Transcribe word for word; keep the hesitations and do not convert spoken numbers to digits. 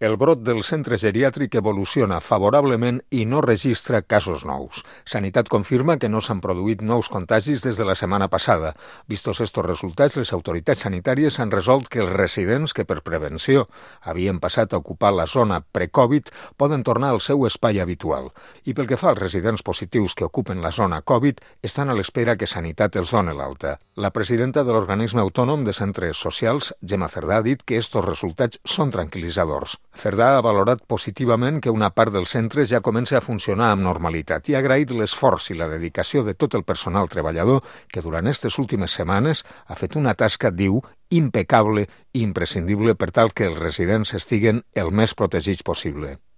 El brot del centre geriàtric evoluciona favorablement i no registra casos nous. Sanitat confirma que no s'han produït nous contagis des de la setmana passada. Vistos estos resultats, les autoritats sanitàries han resolt que els residents que per prevenció havien passat a ocupar la zona pre-Covid poden tornar al seu espai habitual. I pel que fa als residents positius que ocupen la zona Covid, estan a l'espera que Sanitat els doni l'alta. La presidenta de l'Organisme Autònom de Centres Socials, Gemma Cerdà, ha dit que estos resultats són tranquil·litzadors. Cerdà ha valorat positivament que una part dels centres ja comença a funcionar amb normalitat i ha agraït l'esforç i la dedicació de tot el personal treballador que durant aquestes últimes setmanes ha fet una tasca, diu, impecable i imprescindible per tal que els residents estiguen el més protegits possible.